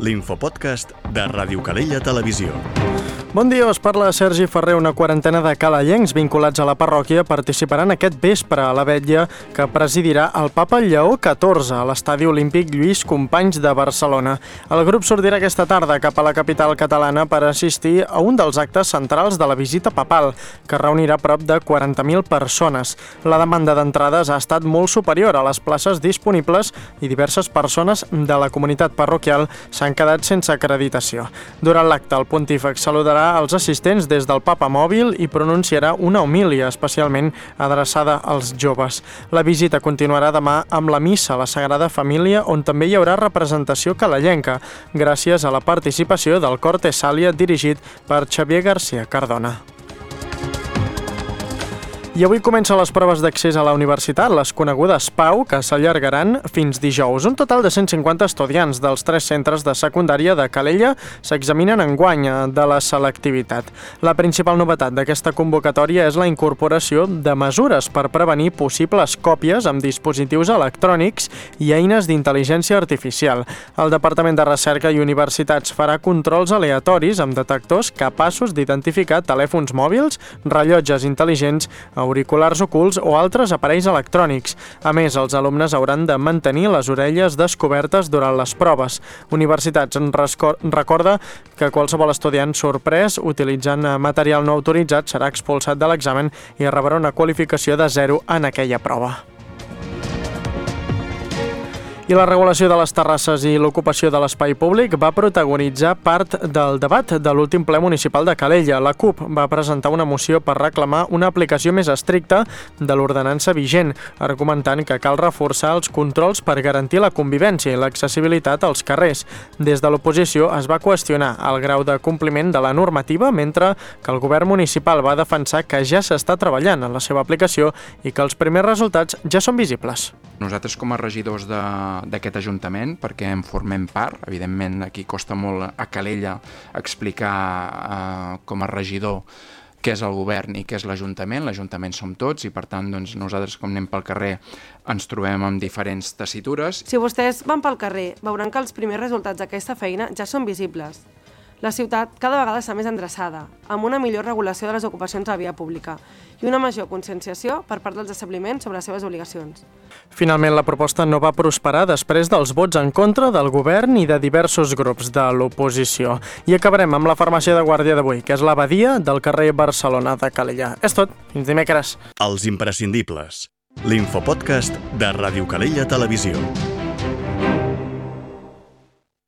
l'infopodcast de Ràdio Calella Televisió. Bon dia, us parla Sergi Ferrer. Una quarantena de calellencs vinculats a la parròquia participaran aquest vespre a la vetlla que presidirà el Papa Lleó XIV a l'Estadi Olímpic Lluís Companys de Barcelona. El grup sortirà aquesta tarda cap a la capital catalana per assistir a un dels actes centrals de la visita papal, que reunirà prop de 40.000 persones. La demanda d'entrades ha estat molt superior a les places disponibles i diverses persones de la comunitat parroquial s'han quedat sense acreditació. Durant l'acte, el pontífex saludarà als assistents des del Papa Mòbil i pronunciarà una homília especialment adreçada als joves. La visita continuarà demà amb la missa a la Sagrada Família, on també hi haurà representació calellenca, gràcies a la participació del cor Tessàlia dirigit per Xavier García Cardona. I avui comencen les proves d'accés a la universitat, les conegudes PAU, que s'allargaran fins dijous. Un total de 150 estudiants dels 3 centres de secundària de Calella s'examinen enguany de la selectivitat. La principal novetat d'aquesta convocatòria és la incorporació de mesures per prevenir possibles còpies amb dispositius electrònics i eines d'intel·ligència artificial. El Departament de Recerca i Universitats farà controls aleatoris amb detectors capaços d'identificar telèfons mòbils, rellotges intel·ligents, auriculars ocults o altres aparells electrònics. A més, els alumnes hauran de mantenir les orelles descobertes durant les proves. Universitats recorda que qualsevol estudiant sorprès utilitzant material no autoritzat serà expulsat de l'examen i rebrà una qualificació de 0 en aquella prova. I la regulació de les terrasses i l'ocupació de l'espai públic va protagonitzar part del debat de l'últim ple municipal de Calella. La CUP va presentar una moció per reclamar una aplicació més estricta de l'ordenança vigent, argumentant que cal reforçar els controls per garantir la convivència i l'accessibilitat als carrers. Des de l'oposició es va qüestionar el grau de compliment de la normativa, mentre que el govern municipal va defensar que ja s'està treballant en la seva aplicació i que els primers resultats ja són visibles. Nosaltres com a regidors d'aquest Ajuntament, perquè en formem part, evidentment aquí costa molt a Calella explicar com a regidor què és el govern i què és l'Ajuntament. L'Ajuntament som tots i per tant nosaltres com anem pel carrer ens trobem amb diferents tessitures. Si vostès van pel carrer veuran que els primers resultats d'aquesta feina ja són visibles. La ciutat cada vegada està més endreçada, amb una millor regulació de les ocupacions a la via pública i una major conscienciació per part dels establiments sobre les seves obligacions. Finalment, la proposta no va prosperar després dels vots en contra del govern i de diversos grups de l'oposició. I acabarem amb la farmàcia de guàrdia d'avui, que és l'Abadia del carrer Barcelona de Calella. És tot. Fins dimecres. Els imprescindibles. L'infopodcast de Ràdio Calella Televisió.